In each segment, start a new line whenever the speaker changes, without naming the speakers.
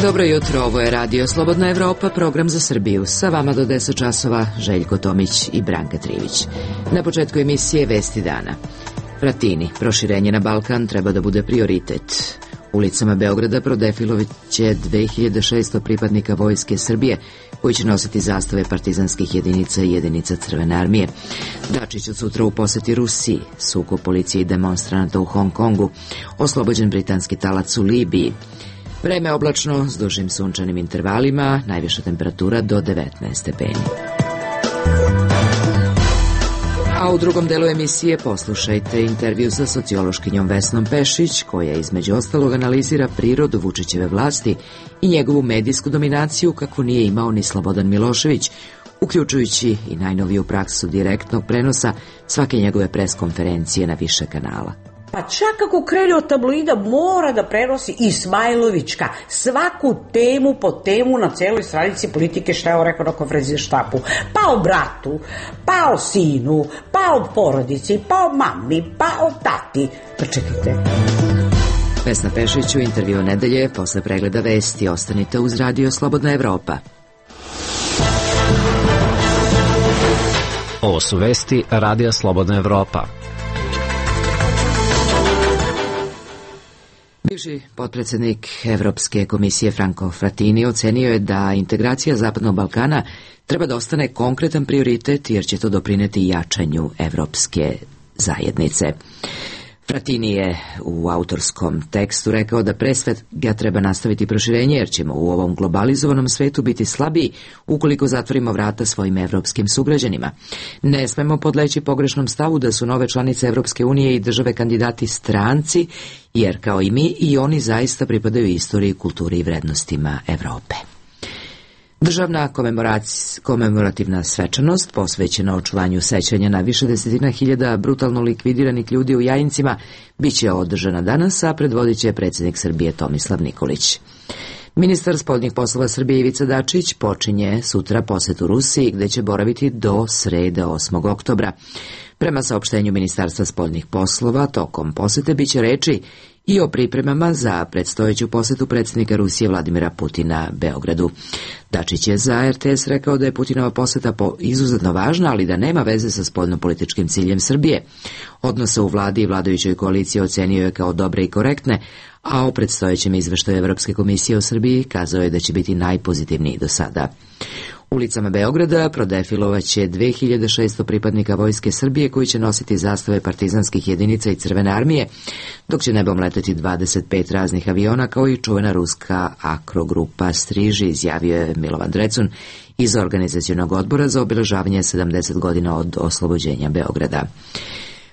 Dobro jutro, ovo je Radio Slobodna Evropa, program za Srbiju. Sa vama do 10 časova Željko Tomić i Branka Trivić. Na početku emisije Vesti dana. Fratini, proširenje na Balkan treba da bude prioritet. Ulicama Beograda prodefiloviće 2600 pripadnika Vojske Srbije, koji će nositi zastave partizanskih jedinica i jedinica Crvene armije. Dačić od sutra u poseti Rusiji, sukob policije i demonstranata u Hong Kongu, oslobođen britanski talac u Libiji. Vreme oblačno s dužim sunčanim intervalima, najviša temperatura do 19 stepeni. A u drugom delu emisije poslušajte intervju sa sociološkinjom Vesnom Pešić, koja između ostalog analizira prirodu Vučićeve vlasti i njegovu medijsku dominaciju kakvu nije imao ni Slobodan Milošević, uključujući i najnoviju praksu direktnog prenosa svake njegove preskonferencije na više kanala.
Pa čak ako krene od tabloida mora da prenosi Ismailovićka svaku temu po temu na celoj stranici Politike, šta je on rekao na konferenciji za štampu. Pa o bratu, pa o sinu, pa o porodici, pa o mami, pa o tati. Pa čekajte.
Vesna Pešić u intervju nedelje posle pregleda vesti. Ostanite uz Radio Slobodna Evropa.
Ovo su vesti Radija Slobodna Evropa.
Bivši potpredsednik Evropske komisije Franco Fratini ocenio je da integracija Zapadnog Balkana treba da ostane konkretan prioritet jer će to doprineti jačanju evropske zajednice. Fratini je u autorskom tekstu rekao da pre svega treba nastaviti proširenje jer ćemo u ovom globalizovanom svetu biti slabiji ukoliko zatvorimo vrata svojim evropskim sugrađanima. Ne smemo podleći pogrešnom stavu da su nove članice Evropske unije i države kandidati stranci, jer kao i mi i oni zaista pripadaju istoriji, kulturi i vrednostima Evrope. Državna komemorativna svečanost posvećena očuvanju sećanja na više desetina hiljada brutalno likvidiranih ljudi u Jajincima biće održana danas, a predvodit će predsjednik Srbije Tomislav Nikolić. Ministar spoljnih poslova Srbije Ivica Dačić počinje sutra posetu Rusiji, gde će boraviti do srede 8. oktobra. Prema saopštenju Ministarstva spoljnih poslova, tokom posete biće reči i o pripremama za predstojeću posetu predsjednika Rusije Vladimira Putina Beogradu. Dačić je za RTS rekao da je Putinova poseta izuzetno važna, ali da nema veze sa spoljnopolitičkim ciljem Srbije. Odnose u vladi i vladajućoj koaliciji ocenio je kao dobre i korektne, a o predstojećem izveštaju Evropske komisije o Srbiji kazao je da će biti najpozitivniji do sada. Ulicama Beograda prodefilovaće 2600 pripadnika Vojske Srbije koji će nositi zastave partizanskih jedinica i Crvene armije, dok će nebom leteti 25 raznih aviona kao i čuvena ruska akrogrupa Striži, izjavio je Milovan Drecun iz organizacionog odbora za obeležavanje 70 godina od oslobođenja Beograda.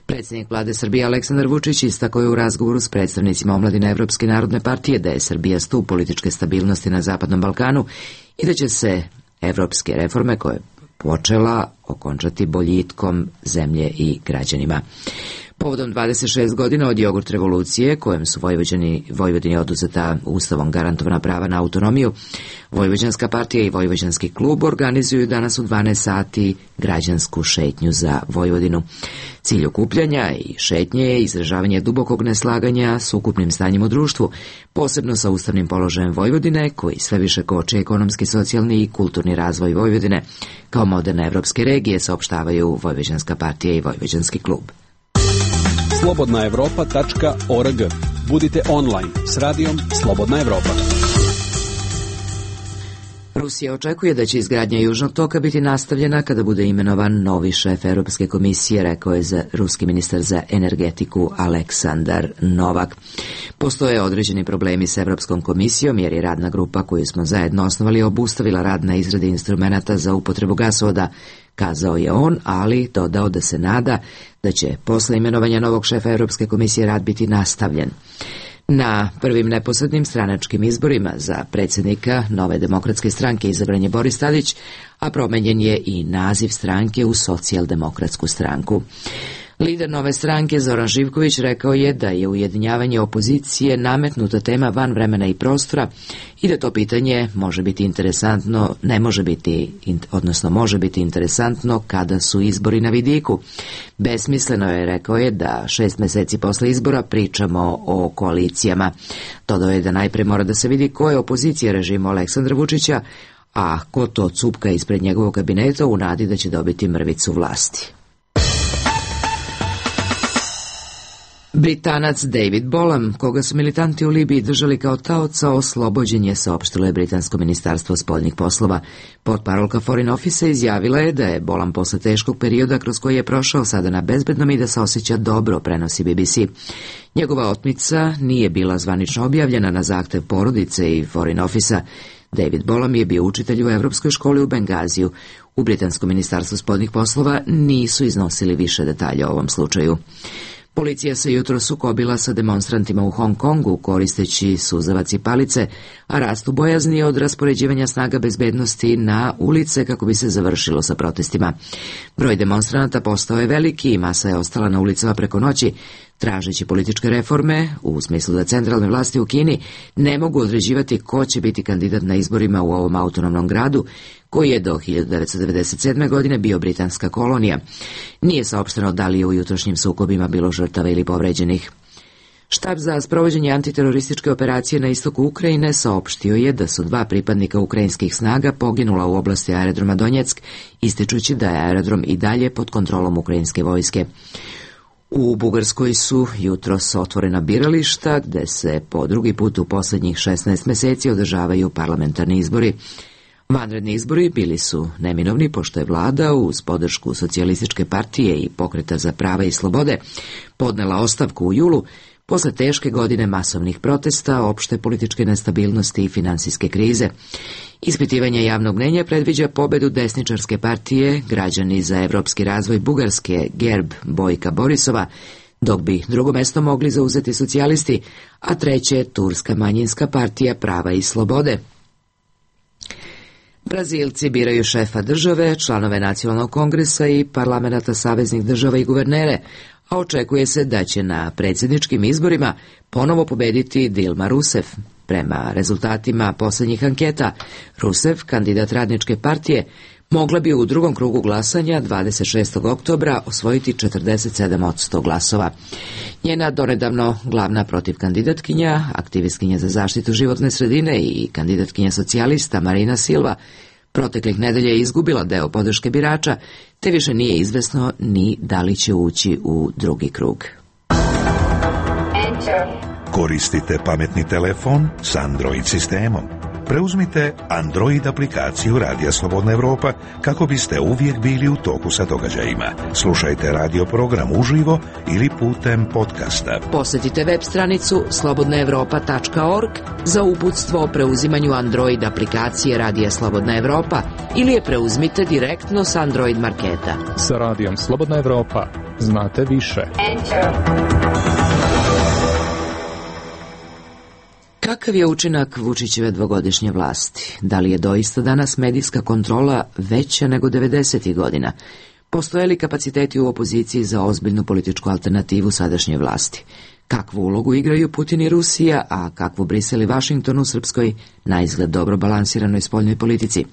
Predsjednik vlade Srbije Aleksandar Vučić istakao je u razgovoru s predstavnicima omladine Evropske narodne partije da je Srbija stup političke stabilnosti na Zapadnom Balkanu i da će se evropske reforme koje je počela okončati boljitkom zemlje i građanima. Povodom 26 godina od jogurt revolucije, kojem su Vojvodini oduzeta ustavom garantovana prava na autonomiju, Vojvođanska partija i Vojvođanski klub organizuju danas u 12 sati građansku šetnju za Vojvodinu. Cilj okupljanja i šetnje je izražavanje dubokog neslaganja s ukupnim stanjem u društvu, posebno sa ustavnim položajem Vojvodine, koji sve više koči ekonomski, socijalni i kulturni razvoj Vojvodine, kao moderne evropske regije, saopštavaju Vojvođanska partija i Vojvođanski klub.
slobodnaevropa.org. Budite online s radijom Slobodna Evropa.
Rusija očekuje da će izgradnja Južnog toka biti nastavljena kada bude imenovan novi šef Europske komisije, rekao je ruski ministar za energetiku Aleksandar Novak. Postoje određeni problemi s Europskom komisijom jer je radna grupa koju smo zajedno osnovali obustavila rad na izradi instrumenata za upotrebu gasovoda, kazao je on, ali dodao da se nada da će posle imenovanja novog šefa Europske komisije rad biti nastavljen. Na prvim neposrednim stranačkim izborima za predsjednika Nove demokratske stranke izabran je Boris Tadić, a promenjen je i naziv stranke u Socijaldemokratsku stranku. Lider Nove stranke Zoran Živković rekao je da je ujedinjavanje opozicije nametnuta tema van vremena i prostora i da to pitanje može biti interesantno, može biti interesantno kada su izbori na vidiku. Besmisleno je, rekao je, da 6 meseci posle izbora pričamo o koalicijama. Dodao je da najpre mora da se vidi ko je opozicija režimu Aleksandra Vučića, a ko to cupka ispred njegovog kabineta u nadi da će dobiti mrvicu vlasti. Britanac David Bolam, koga su militanti u Libiji držali kao taoca, oslobođen je, saopštilo je britansko ministarstvo spoljnih poslova. Potparolka Foreign Office izjavila je da je Bolam posle teškog perioda kroz koji je prošao sada na bezbednom i da se osjeća dobro, prenosi BBC. Njegova otmica nije bila zvanično objavljena na zahtev porodice i Foreign Office-a. David Bolam je bio učitelj u Evropskoj školi u Bengaziju. U britanskom ministarstvu spoljnih poslova nisu iznosili više detalja o ovom slučaju. Policija se jutro sukobila sa demonstrantima u Hong Kongu koristeći suzavac i palice, a rastu bojazni od raspoređivanja snaga bezbednosti na ulice kako bi se završilo sa protestima. Broj demonstranata postao je veliki i masa je ostala na ulicama preko noći, tražeći političke reforme, u smislu da centralne vlasti u Kini ne mogu određivati ko će biti kandidat na izborima u ovom autonomnom gradu, koji je do 1997. godine bio britanska kolonija. Nije saopšteno da li je u jutrošnjim sukobima bilo žrtava ili povređenih. Štab za sprovođenje antiterorističke operacije na istoku Ukrajine saopštio je da su 2 pripadnika ukrajinskih snaga poginula u oblasti aerodroma Donjeck, ističući da je aerodrom i dalje pod kontrolom ukrajinske vojske. U Bugarskoj su jutros otvorena birališta, gde se po drugi put u posljednjih 16 meseci održavaju parlamentarni izbori. Vanredni izbori bili su neminovni pošto je vlada uz podršku Socijalističke partije i Pokreta za prava i slobode podnela ostavku u julu posle teške godine masovnih protesta, opšte političke nestabilnosti i finansijske krize. Ispitivanje javnog mnenja predviđa pobedu desničarske partije Građani za evropski razvoj Bugarske Gerb Bojka Borisova, dok bi drugo mesto mogli zauzeti socijalisti, a treće Turska manjinska partija Prava i slobode. Brazilci biraju šefa države, članove nacionalnog kongresa i parlamenta saveznih država i guvernere, a očekuje se da će na predsjedničkim izborima ponovo pobediti Dilma Rousseff. Prema rezultatima posljednjih anketa, Rousseff, kandidat radničke partije, mogla bi u drugom krugu glasanja 26. oktobra osvojiti 47% glasova. Njena donedavno glavna protivkandidatkinja, aktivistkinja za zaštitu životne sredine i kandidatkinja socijalista Marina Silva, proteklih nedelja je izgubila deo podrške birača, te više nije izvesno ni da li će ući u drugi krug.
Koristite pametni telefon s Android sistemom. Preuzmite Android aplikaciju Radija Slobodna Evropa kako biste uvijek bili u toku sa događajima. Slušajte radio program uživo ili putem podcasta.
Posjetite web stranicu slobodnaevropa.org za uputstvo o preuzimanju Android aplikacije Radija Slobodna Evropa ili je preuzmite direktno s Android marketa.
Sa Radijom Slobodna Evropa znate više.
Kakav je učinak Vučićeve dvogodišnje vlasti? Da li je doista danas medijska kontrola veća nego 90. godina? Postoje li kapaciteti u opoziciji za ozbiljnu političku alternativu sadašnje vlasti? Kakvu ulogu igraju Putin i Rusija, a kakvu Brisel i Vašington u srpskoj, naizgled dobro balansiranoj spoljnoj politici?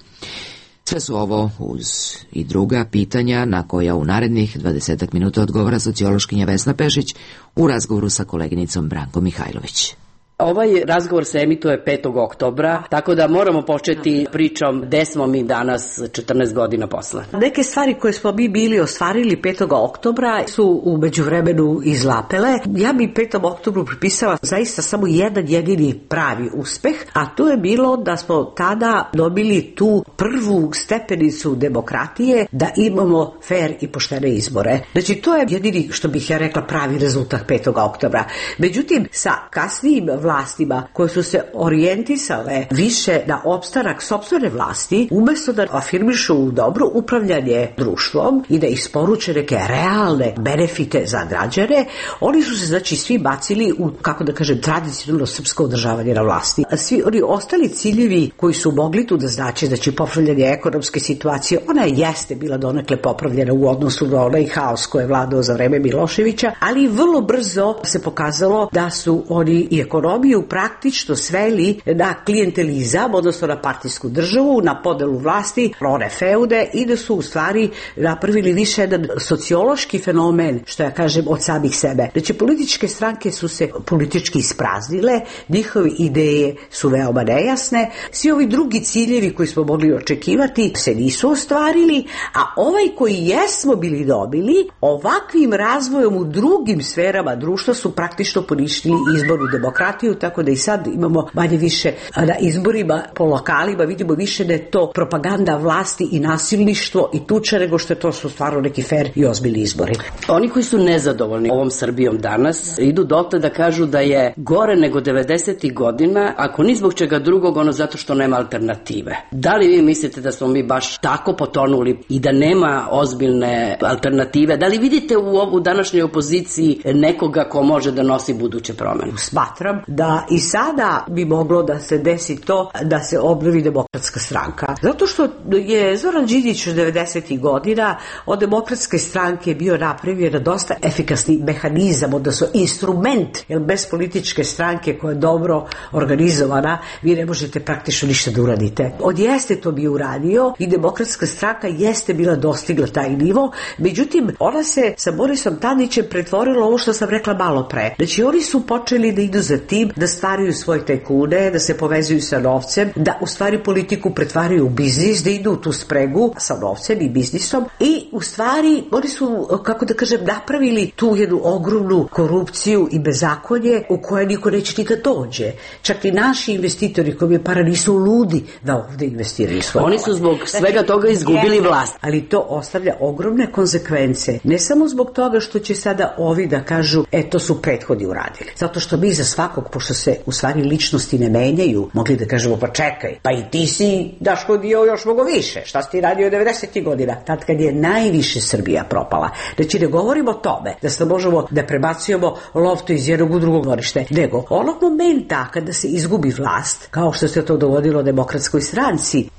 Sve su ovo uz i druga pitanja na koja u narednih 20 minuta odgovara sociološkinja Vesna Pešić u razgovoru sa koleginicom Brankom Mihajlović.
Ovaj razgovor se emituje 5. oktobra, tako da moramo početi pričom gde smo mi danas 14 godina posle.
Neke stvari koje smo mi bili ostvarili 5. oktobra su u međuvremenu izlapele. Ja bi 5. oktobru pripisala zaista samo jedan jedini pravi uspeh, a to je bilo da smo tada dobili tu prvu stepenicu demokratije, da imamo fair i poštene izbore. Znači, to je jedini, što bih ja rekla, pravi rezultat 5. oktobra. Međutim, sa kasnijim vlastima koje su se orijentisale više na opstanak sopstvene vlasti, umesto da afirmišu dobro upravljanje društvom i da isporuče neke realne benefite za građane, oni su se znači svi bacili u, kako da kažem, tradicionalno srpsko održavanje na vlasti. A svi oni ostali ciljevi koji su mogli tu da znači popravljanje ekonomske situacije, ona jeste bila donekle popravljena u odnosu na onaj haos koji je vladao za vreme Miloševića, ali vrlo brzo se pokazalo da su oni i ekonomiju praktično sveli na klijentelizam, odnosno na partijsku državu, na podelu vlasti, one feude, i da su u stvari napravili više jedan sociološki fenomen, što ja kažem, od samih sebe. Znači, političke stranke su se politički ispraznile, njihove ideje su veoma nejasne, svi ovi drugi ciljevi koji smo mogli očekivati se nisu ostvarili, a ovaj koji jesmo bili dobili, ovakvim razvojom u drugim sferama društva su praktično poništili izbornu demokratiju, tako da i sad imamo manje više na izborima po lokalima, vidimo više da je to propaganda vlasti i nasilništvo i tuča nego što je to su stvarno neki fair i ozbiljni izbori.
Oni koji su nezadovoljni ovom Srbijom danas idu dotle da kažu da je gore nego 90. godina, ako ni zbog čega drugog, ono zato što nema alternative. Da li vi mislite da smo mi baš tako potonuli i da nema ozbiljne alternative? Da li vidite u današnjoj opoziciji nekoga ko može da nosi buduće promene?
Smatram da i sada bi moglo da se desi to da se obnovi Demokratska stranka. Zato što je Zoran Đinđić od 90. godina od Demokratske stranke bio napravljen dosta efikasni mehanizam, odnosno instrument, jer bez političke stranke koja je dobro organizovana, vi ne možete praktično ništa da uradite. On jeste to bio uradio i Demokratska stranka jeste bila dostigla taj nivo, međutim, ona se sa Borisom Tadićem pretvorila ovo što sam rekla malo pre. Znači, oni su počeli da idu za tim, da stvaraju svoje tajkune, da se povezuju sa novcem, da u stvari politiku pretvaraju u biznis, da idu u tu spregu sa novcem i biznisom i u stvari oni su, kako da kažem, napravili tu jednu ogromnu korupciju i bezakonje u koje niko neće nikad dođe. Čak i naši investitori koji je para nisu ludi da ovde investiraju svoje.
Oni su zbog svega toga izgubili vlast.
Ali to ostavlja ogromne konsekvence. Ne samo zbog toga što će sada ovi da kažu, to su prethodni uradili. Zato što mi za svakog, pošto se u stvari ličnosti ne menjaju, mogli da kažemo, pa čekaj, pa i ti si Daško dio još mnogo više. Šta si ti radio 90. godina? Tad kad je najviše Srbija propala. Znači, ne govorimo o tome da se možemo da prebacujemo loptu iz jednog u drugog dvorište, nego onog momenta kada se izgubi vlast, kao što se to dogodilo Demokratskoj stranci,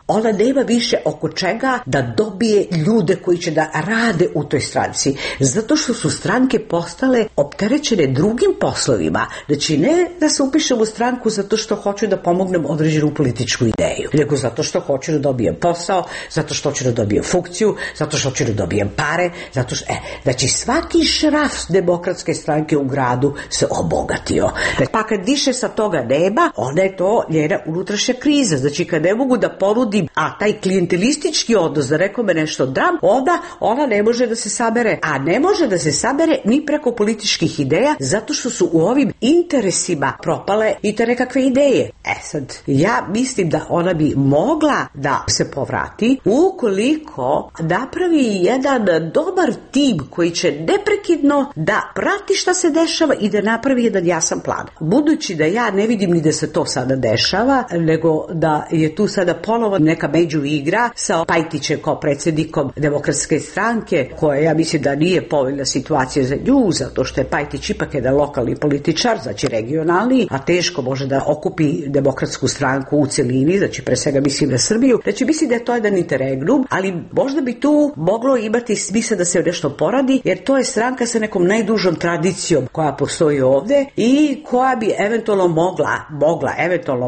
ona nema više oko čega da dobije ljude koji će da rade u toj stranci. Zato što su stranke postale opterećene drugim poslovima. Znači, ne da se upišem u stranku zato što hoću da pomognem određenu političku ideju, nego zato što hoću da dobijem posao, zato što hoću da dobijem funkciju, zato što hoću da dobijem pare, zato što, znači, svaki šraf Demokratske stranke u gradu se obogatio. Pa kad više sa toga nema, onda je to njena unutrašnja kriza. Znači, kad ne mogu da ponudim, a taj klijentelistički odnos, da rekao me nešto dram, onda ona ne može da se sabere. A ne može da se sabere ni preko političkih ideja, zato što su u ovim interesima propale i te nekakve ideje. Sad, ja mislim da ona bi mogla da se povrati ukoliko napravi jedan dobar tim koji će neprekidno da prati šta se dešava i da napravi jedan jasan plan. Budući da ja ne vidim ni da se to sada dešava, nego da je tu sada ponovo neka među igra sa Pajtićem kao predsjednikom Demokratske stranke, koja ja mislim da nije povoljna situacija za nju, zato što je Pajtić ipak jedan lokalni političar, znači regionalni, a teško može da okupi Demokratsku stranku u celini, znači pre svega mislim na Srbiju. Znači, mislim da je to jedan interregnum, ali možda bi tu moglo imati smisla da se nešto poradi, jer to je stranka sa nekom najdužom tradicijom koja postoji ovde i koja bi eventualno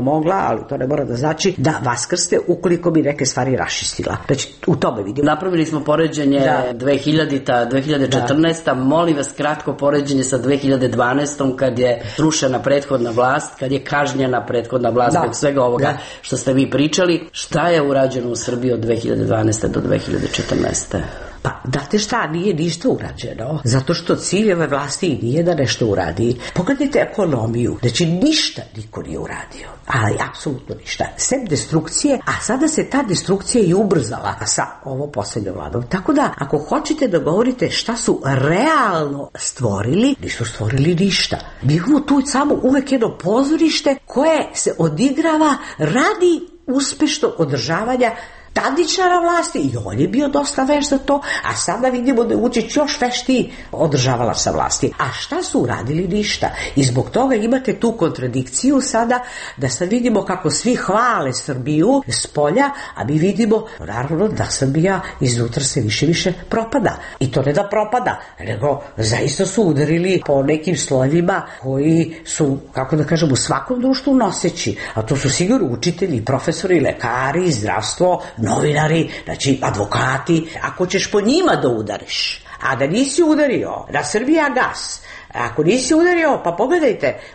mogla, ali to ne mora da znači da vaskrste ukoliko bi neke stvari raščistila. Znači, u tome vidim.
Napravili smo poređenje 2000-ta, 2014-ta, molim vas kratko poređenje sa 2012-om kad je srušena prethodna vlast, kad je kažnjena prethodna vlast zbog svega ovoga što ste vi pričali. Šta je urađeno u Srbiji od 2012. do 2014.
Pa, znate šta, nije ništa urađeno, zato što cilj ove vlasti nije da nešto uradi. Pogledajte ekonomiju, znači ništa niko nije uradio, ali apsolutno ništa, sem destrukcije, a sada se ta destrukcija i ubrzala sa ovo poslednjom vladom. Tako da, ako hoćete da govorite šta su realno stvorili, nisu stvorili ništa. Mi imamo tu samo uvek jedno pozorište koje se odigrava radi uspešnog održavanja Tadićara vlasti i on je bio dosta veš za to, a sada vidimo da je Vučić još veštiji održavala sa vlasti. A šta su uradili? Ništa. I zbog toga imate tu kontradikciju sada, da sad vidimo kako svi hvale Srbiju s polja, a mi vidimo naravno da Srbija iznutra se više propada. I to ne da propada, nego zaista su udarili po nekim slojevima koji su, kako da kažem, u svakom društvu noseći. A to su sigurno učitelji, profesori, lekari, zdravstvo, novinari, znači advokati. Ako ćeš po njima da udariš, a da nisi udario na Srbijagas, ako nisi udario, pa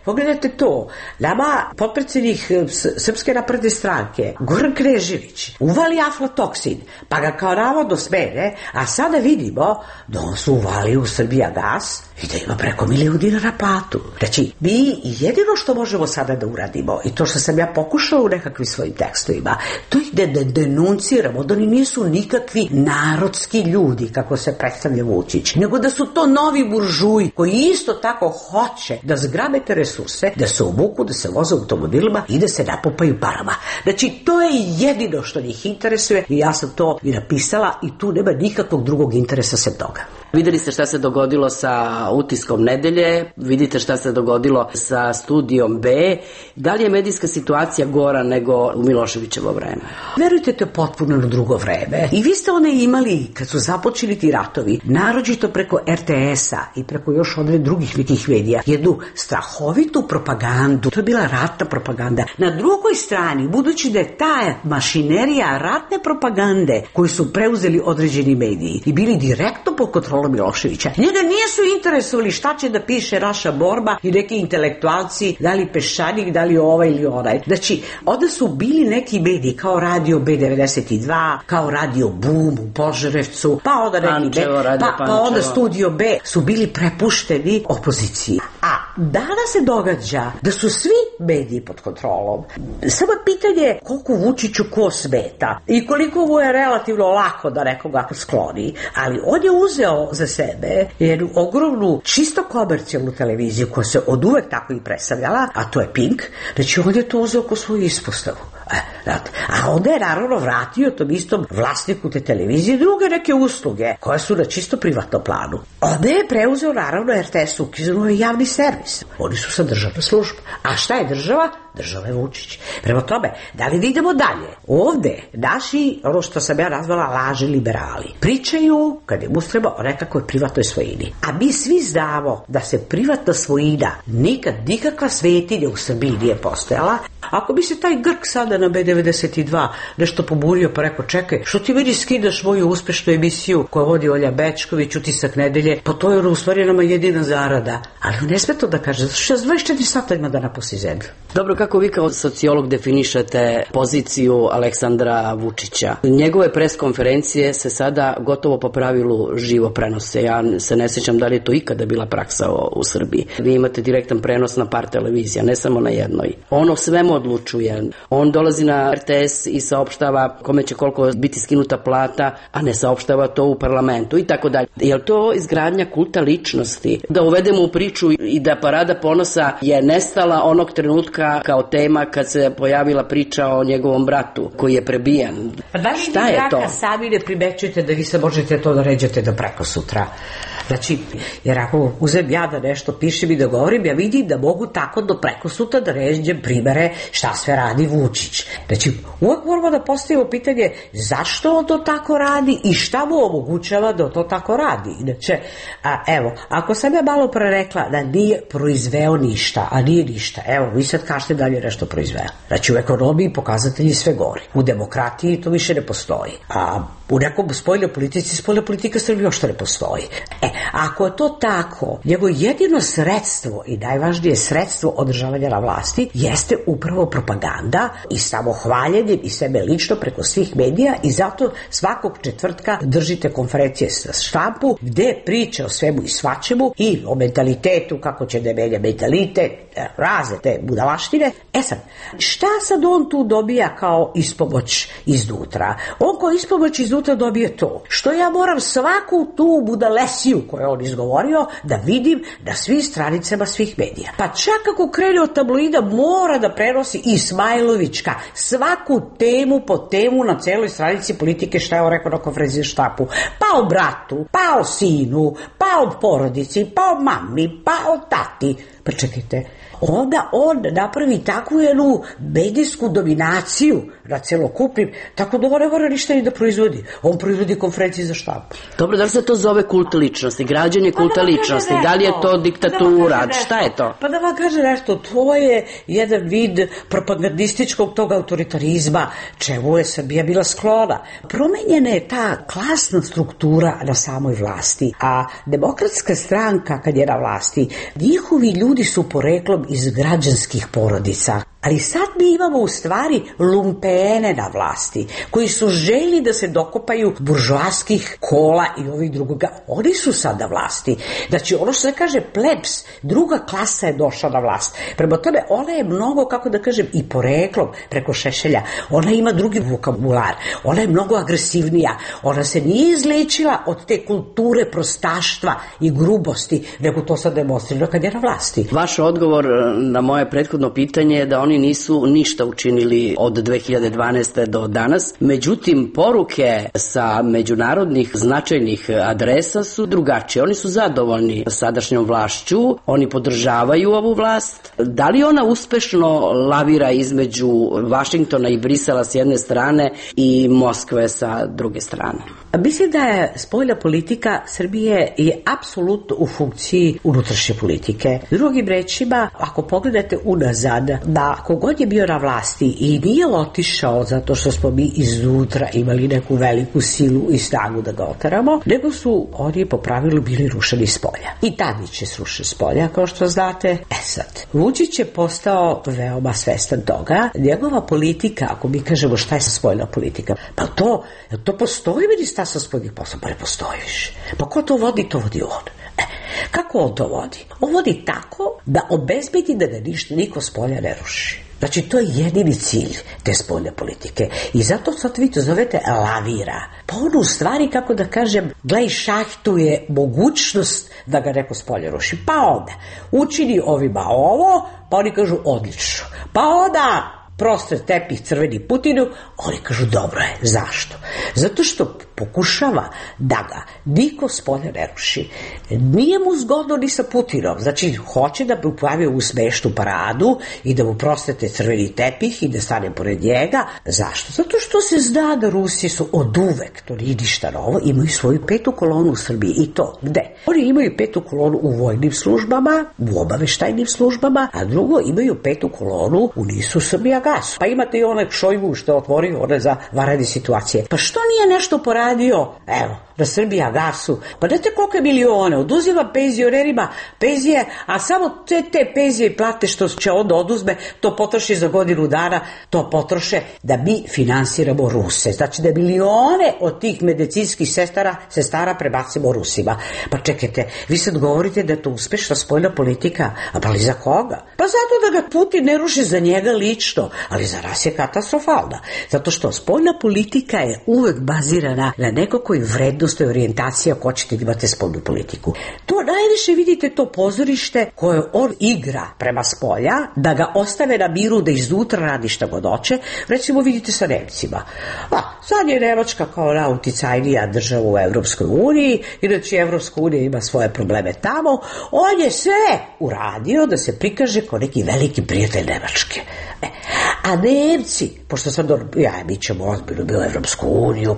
pogledajte to. Nama potpredsednik Srpske napredne stranke, Goran Knežević, uvali aflatoksin, pa ga kao navodno smene, a sada vidimo da on su uvali u Srbijagas i da ima preko $1.000.000 platu. Znači, mi jedino što možemo sada da uradimo, i to što sam ja pokušala u nekakvim svojim tekstovima, to ih da denunciramo, da oni nisu nikakvi narodski ljudi, kako se predstavlja Vučić, nego da su to novi buržuji koji isto tako hoće da zgrabe te resurse, da se obuku, da se voze automobilima i da se napupaju parama. Znači, to je jedino što njih interesuje i ja sam to i napisala i tu nema nikakvog drugog interesa sem toga.
Videli ste šta se dogodilo sa Utiskom nedelje, vidite šta se dogodilo sa Studijom B. Da li je medijska situacija gora nego u Miloševićevo vreme?
Verujte, to je potpuno na drugo vreme. I vi ste one imali, kad su započeli ti ratovi, naročito preko RTS-a i preko još odve drugih nekih medija, jednu strahovitu propagandu. To je bila ratna propaganda. Na drugoj strani, budući da je ta mašinerija ratne propagande koju su preuzeli određeni mediji i bili direktno pod kontrolom Miloševića, njega nisu interesovali šta će da piše naša borba i neki intelektualci, da li Peščanik, da li ovaj ili onaj. Znači, onda su bili neki mediji kao Radio B92, kao Radio Boom u Požarevcu, pa onda neki pa onda Studio B su bili prepušteni opoziciji. A danas se događa da su svi mediji pod kontrolom. Samo pitanje koliko Vučiću ko smeta i koliko mu je relativno lako da nekoga skloni, ali on je uzeo za sebe jednu ogromnu, čisto komercijalnu televiziju koja se od uvek tako i predstavljala, a to je Pink, znači on je to uzeo ko svoju ispostavu. A onda je naravno vratio tom istom vlasniku te televizije druge neke usluge koje su na čisto privatnom planu. Onda je preuzeo naravno RTS, ukinuo je javni servis. Oni su sad državna služba. A šta je država? Država je Vučić. Prema tome, da li idemo dalje? Ovde naši, ono što sam ja nazvala laži liberali, pričaju, kad im ustreba, o nekakvoj privatnoj svojini. A mi svi znamo da se privatna svojina nikakva svetinja u Srbiji nije postojala. Ako bi se taj Grk sada na B92 nešto poburio pa rekao, čekaj, što ti meni skidaš moju uspešnu emisiju koju vodi Olja Bečković, Utisak nedelje, pa to je u stvari nama jedina zarada. Ali on ne sme to da kaže, zato što 24 sata ima da napusti zemlju.
Dobro, kako vi kao sociolog definišete poziciju Aleksandra Vučića? Njegove preskonferencije se sada gotovo po pravilu živo prenose. Ja se ne sjećam da li je to ikada bila praksa u Srbiji. Vi imate direktan prenos na par televizija, ne samo na jednoj. On o svemu odlučuje. On dolazi na RTS i saopštava kome će koliko biti skinuta plata, a ne saopštava to u parlamentu i tako dalje. Je li to izgradnja kulta ličnosti? Da uvedemo u priču i da Parada ponosa je nestala onog trenutka kao tema kad se pojavila priča o njegovom bratu koji je prebijen.
Pa da li šta je to? Sami ne primećujete da vi se možete to da ređate do preko sutra. Znači, jer ako uzem ja da nešto pišem i da govorim, ja vidim da mogu tako do preko sutra da ređem primere šta sve radi Vučić. Znači, uvek moramo da postavimo pitanje zašto on to tako radi i šta mu omogućava da to tako radi. Znači, evo, ako sam ja malo pre rekla da nije proizveo ništa, a nije ništa, evo, vi sad kažete da li je nešto proizveo. Znači, u ekonomiji pokazatelji sve gori. U demokratiji to više ne postoji. A u nekom spoljnoj politika Srbije još to ne postoji. Ako je to tako, njegovo jedino sredstvo i najvažnije sredstvo održavanja na vlasti jeste upravo propaganda i samohvaljenje i sebe lično preko svih medija, i zato svakog četvrtka držite konferencije sa štampu gde priče o svemu i svačemu i o mentalitetu, kako će da menja mentalitet, razne te budalaštine. Sad, šta sad on tu dobija kao ispomoć iznutra? On kao ispomoć iznutra dobije to što ja moram svaku tu budalesiju koju on izgovorio da vidim na svim stranicama svih medija. Pa čak ako krene od tabloida mora da prenosi Ismailovićka svaku temu po temu na celoj stranici Politike, šta je on rekao na konferenciji za štampu. Pa o bratu, pa o sinu, pa o porodici, pa o mami, pa o tati. Pa čekajte, onda on napravi takvu jednu medijsku dominaciju na celokupnim, tako da on ne mora ništa ni da proizvodi. On proizvodi konferencije za štampu.
Dobro, da li se to zove kult ličnosti, građenje kulta ličnosti, da li je to diktatura, šta je to?
Pa da vam kaže nešto, to je jedan vid propagandističkog tog autoritarizma, čemu je Srbija bila sklona. Promenjena je ta klasna struktura na samoj vlasti, a Demokratska stranka kad je na vlasti, njihovi ljudi su poreklom iz građanskih porodica. Ali sad mi imamo u stvari lumpene na vlasti, koji su želi da se dokopaju buržoaskih kola i ovih drugoga. Oni su sad na vlasti. Znači, ono što se kaže plebs, druga klasa je došla na vlast. Prema tome, ona je mnogo, kako da kažem, i poreklom preko Šešelja. Ona ima drugi vokabular. Ona je mnogo agresivnija. Ona se nije izlečila od te kulture prostaštva i grubosti, nego to sad demonstrirano kad je na vlasti.
Vaš odgovor na moje prethodno pitanje je da oni nisu ništa učinili od 2012. do danas. Međutim, poruke sa međunarodnih značajnih adresa su drugačije. Oni su zadovoljni sadašnjom vlašću, oni podržavaju ovu vlast. Da li ona uspešno lavira između Vašingtona i Brisela s jedne strane i Moskve sa druge strane?
Mislim da je spoljna politika Srbije je apsolutno u funkciji unutrašnje politike. Drugim rečima, ako pogledate unazad, da kogod je bio na vlasti i nije otišao zato što smo mi iznutra imali neku veliku silu i snagu da ga oteramo, nego su oni po pravilu bili rušeni s polja. I Tadić je srušen s polja, kao što znate. Sad, Vučić je postao veoma svestan toga. Njegova politika, ako mi kažemo šta je spoljna politika, pa to postoji ministarstvo spoljnih poslova, pa ne postoji više. Pa ko to vodi? To vodi on. Kako on to vodi? On vodi tako da obezbedi da ga niko s polja ne ruši. Znači, to je jedini cilj te spoljne politike. I zato sad vi to zovete lavira. Pa on u stvari, kako da kažem, glej, šahtuje mogućnost da ga neko s polja ruši. Pa onda učini ovima ovo, pa oni kažu odlično. Pa onda prostor tepih crveni Putinu, oni kažu dobro je. Zašto? Zato što pokušava da ga niko s polja ne ruši. Nije mu zgodno ni sa Putinom. Znači, hoće da mu pravi u smešnu paradu i da mu prostete crveni tepih i da stane pored njega. Zašto? Zato što se zna da Rusi su od uvek, to nije ništa novo, imaju svoju petu kolonu u Srbiji. I to gde? Oni imaju petu kolonu u vojnim službama, u obaveštajnim službama, a drugo imaju petu kolonu u NIS-u Srbija gas. Pa imate i onaj Šojgu što je otvorio one za vanredne situacije. Pa što nije nešto poradio? Evo, na Srbija gasu. Pa znate koliko je milione? Oduzima penzionerima penzije, a samo te penzije i plate što će onda oduzme, to potroši za godinu dana, to potroše da mi finansiramo Ruse. Znači da milione od tih medicinskih sestara prebacimo Rusima. Pa čekajte, vi sad govorite da je to uspešna spoljna politika, a pa li za koga? Pa zato da ga Putin ne ruši za njega lično, ali za nas je katastrofalna. Zato što spoljna politika je uvek bazirana na nekakvoj vrednosti, orijentacija ako hoćete da imate spoljnu politiku. To najviše vidite to pozorište koje on igra prema spolja, da ga ostave na miru da iznutra radi šta god hoće. Recimo vidite sa Nemcima. Sad je Nemačka kao nauticajnija država u Evropskoj uniji, inače Evropska unija ima svoje probleme tamo. On je sve uradio da se prikaže kao neki veliki prijatelj Nemačke. A Nemci, pošto sad mi ćemo ozbiljno bilo Evropsku uniju,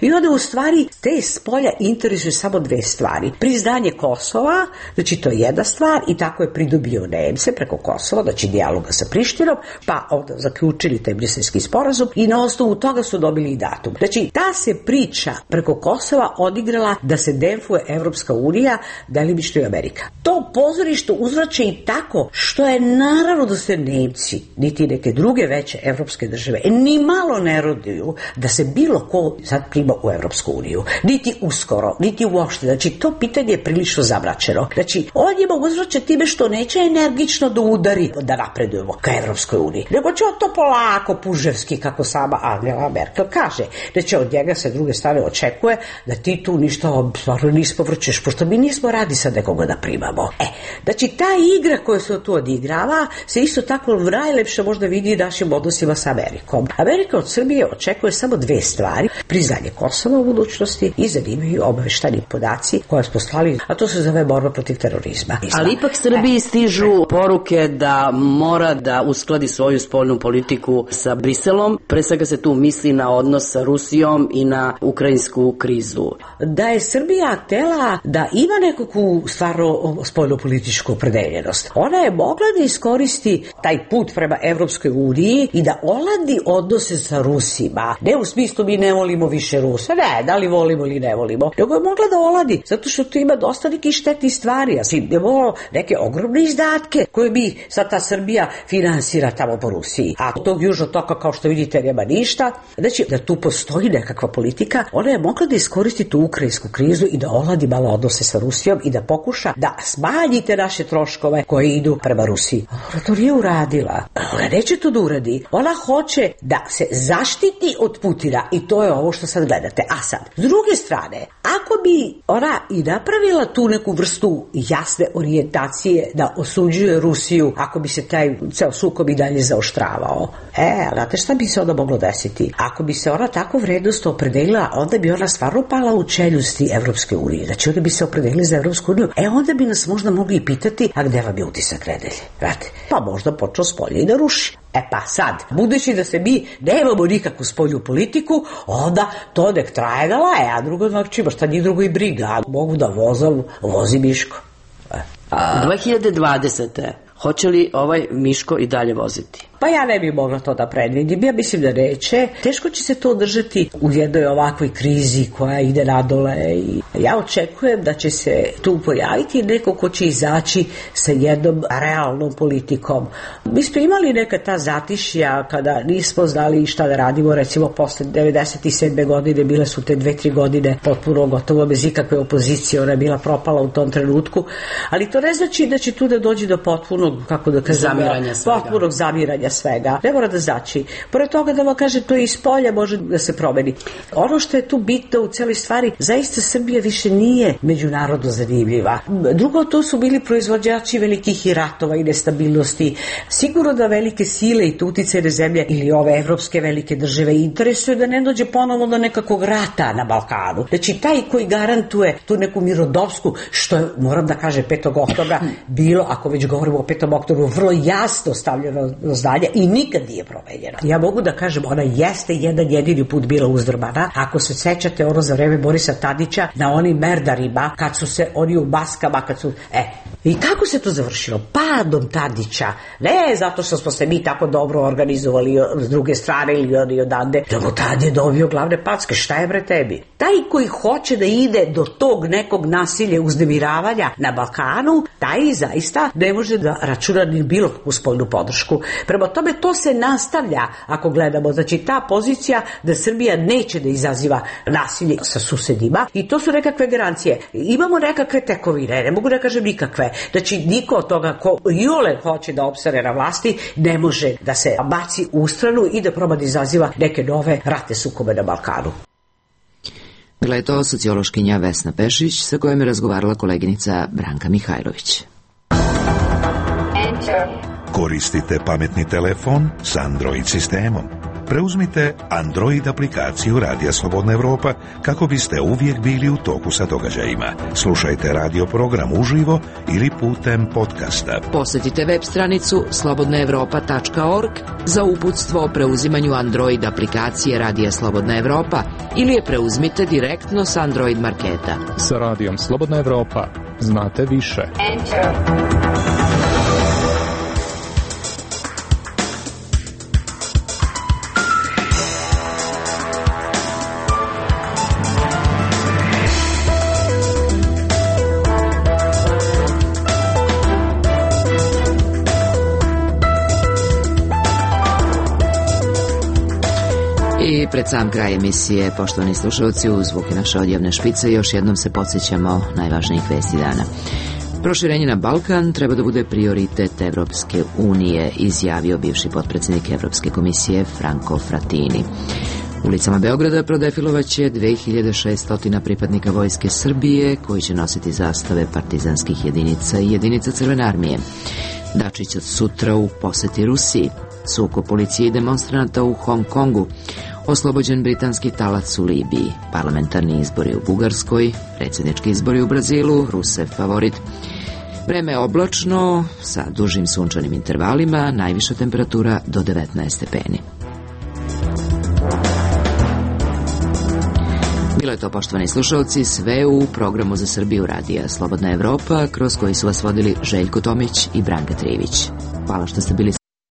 i onda u stvari te spolja interesuju samo dve stvari. Priznanje Kosova, znači to je jedna stvar, i tako je pridobio Nemce preko Kosova, znači dijaloga sa Prištinom, pa onda zaključili taj Briselski sporazum i na osnovu toga su dobili i datum. Znači ta se priča preko Kosova odigrala da se demfuje Evropska unija, delimično i Amerika. To pozorište uzvraća i tako što je naravno da se Nemci, niti neke druge veće evropske države, ni malo ne roduju da se bilo ko sad prima u Evropsku uniju. Niti uskoro, niti uopšte. Znači, to pitanje je prilično zamračeno. Znači, on je mogu uzvraćati time što neće energično da udari da napredujemo ka Evropskoj uniji. Nego će on to polako, puževski, kako sama Angela Merkel kaže. Znači, od njega se druge strane očekuje da ti tu ništa stvarno nismo vrćeš, pošto mi nismo radi sad nekoga da primamo. Znači, ta igra koja se tu odigrava se isto tako najlepše možda vidi našim odnosima sa Amerikom. Amerika od Srbije očekuje samo dve stvari: priznanje Kosova u budućnosti i zanimaju obaveštajni podaci koje smo slali, a to se zove borba protiv terorizma.
Ali ipak Srbiji stižu poruke da mora da uskladi svoju spoljnu politiku sa Briselom. Pre svega se tu misli na odnos sa Rusijom i na ukrajinsku krizu.
Da je Srbija htela da ima nekakvu stvarno spoljnu političku opredeljenost, ona je mogla da iskoristi taj put prema Evropskoj uniji i da oladi odnose sa Rusima. Ne u smislu mi ne volimo više Rusa, ne, da li volimo ili ne volimo, nego je mogla da oladi, zato što tu ima dosta nekih štetnih stvari, a svi imamo neke ogromne izdatke koje bi sad ta Srbija finansira tamo po Rusiji. A tog južnog toka, kao što vidite, nema ništa. Znači, da tu postoji nekakva politika, ona je mogla da iskoristi tu ukrajinsku krizu i da oladi malo odnose sa Rusijom i da pokuša da smanji te naše troškove koje idu prema Rusiji. Ona to nije uradila. Ona neće to da uradi. Ona hoće da se zaštiti od Putina i to je ovo što sad gledate. A sad, s druge strane, ako bi ona i napravila tu neku vrstu jasne orijentacije da osuđuje Rusiju, ako bi se taj ceo sukob i dalje zaoštravao, znate šta bi se onda moglo desiti? Ako bi se ona tako vrednostno opredelila, onda bi ona stvarno pala u čeljusti Evropske unije. Znači, onda bi se opredelili za Evropsku uniju. Onda bi nas možda mogli i pitati, a gde vam je utisak nedelje? Znate, pa možda počeo s polja i da ruši. Pa sad, budući da se mi nemamo nikakvu spoljnu politiku, onda to nek traje da laje, a drugo znači šta njih drugo i briga. Mogu da vozi Miško.
2020. Hoće li ovaj Miško i dalje voziti?
Pa ja ne bih mogla to da predvidim. Ja mislim da neće. Teško će se to održati u jednoj ovakvoj krizi koja ide nadole i ja očekujem da će se tu pojaviti neko ko će izaći sa jednom realnom politikom. Mi smo imali neka ta zatišja kada nismo znali šta da radimo, recimo posle 97. godine bile su te 2-3 godine potpuno gotovo bez ikakve opozicije, ona je bila propala u tom trenutku, ali to ne znači da će tu da dođe do potpunog, kako da kažem, potpunog zamiranja svega. Ne mora da znači. Pored toga da vam kažem, to i iz polja može da se promeni. Ono što je tu bitno u celoj stvari, zaista Srbija više nije međunarodno zanimljiva. Drugo, to su bili proizvođači velikih i ratova i nestabilnosti. Sigurno da velike sile i uticajne zemlje ili ove evropske velike države interesuju da ne dođe ponovo do nekakvog rata na Balkanu. Znači, taj koji garantuje tu neku mirodopsku, što je, moram da kažem, 5. oktobra bilo, ako već govorimo o 5. oktobru, vrlo jasno stavljeno do znanja i nikad nije promenjena. Ja mogu da kažem, ona jeste jedan jedini put bila uzdrmana. Ako se sećate ono za vreme Borisa Tadića na onim merdarima, kad su se oni u maskama, kad su... I kako se to završilo? Padom Tadića. Ne zato što smo se mi tako dobro organizovali s druge strane ili oni odande, nego tad je dobio glavne packe. Šta je bre tebi? Taj koji hoće da ide do tog nekog nasilja, uznemiravanja na Balkanu, taj zaista ne može da računa ni bilo kakvu spoljnu podršku. Prema tome, to se nastavlja ako gledamo. Znači, ta pozicija da Srbija neće da izaziva nasilje sa susedima i to su nekakve garancije. Imamo nekakve tekovine, ne mogu da kažem nikakve. Znači, niko od toga ko iole hoće da opstane na vlasti ne može da se baci u stranu i da proba da izaziva neke nove ratne sukobe na Balkanu.
Bila je to sociološkinja Vesna Pešić sa kojom je razgovarala koleginica Branka Mihajlović.
Koristite pametni telefon s Android sistemom. Preuzmite Android aplikaciju Radija Slobodna Evropa kako biste uvijek bili u toku sa događajima. Slušajte radio program uživo ili putem podcasta.
Posjetite web stranicu slobodnaevropa.org za uputstvo o preuzimanju Android aplikacije Radija Slobodna Evropa ili je preuzmite direktno s Android marketa.
Sa Radijom Slobodna Evropa znate više.
I pred sam kraj emisije, poštovani slušalci, u zvuke naše odjavne špice još jednom se podsjećamo najvažnijih vesti dana. Proširenje na Balkan treba da bude prioritet Evropske unije, izjavio bivši potpredsjednik Evropske komisije Franco Frattini. Ulicama Beograda prodefilovaće 2600 pripadnika Vojske Srbije koji će nositi zastave partizanskih jedinica i jedinica Crvene armije. Dačić od sutra u poseti Rusiji. Sukob policije i demonstranata u Hong Kongu. Oslobođen britanski talac u Libiji. Parlamentarni izbori u Bugarskoj. Predsjednički izbori u Brazilu. Rusev favorit. Vreme je oblačno sa dužim sunčanim intervalima. Najviša temperatura do 19 stepeni. Bilo je to, poštovani slušalci, sve u programu za Srbiju Radija Slobodna Evropa, kroz koji su vas vodili Željko Tomić i Branka Trivić. Hvala što ste bili